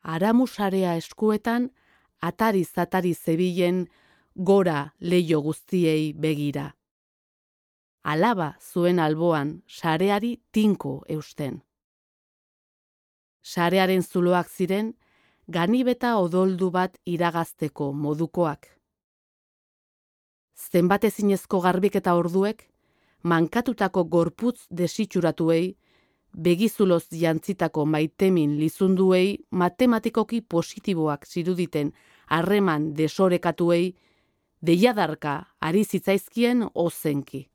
aramusarea eskuetan, atari-zatari zebilen gora leiho guztiei begira. Alaba zuen alboan sareari tinko eusten. Sarearen zuloak ziren, ganibeta odoldu bat iragazteko modukoak. Zenbat ezinezko garbiketa orduek, mankatutako gorputz desitxuratuei, begizuloz jantzitako maitemin lizunduei matematikoki positiboak ziruditen harreman desorekatuei, deiadarka ari zitzaizkien ozenki.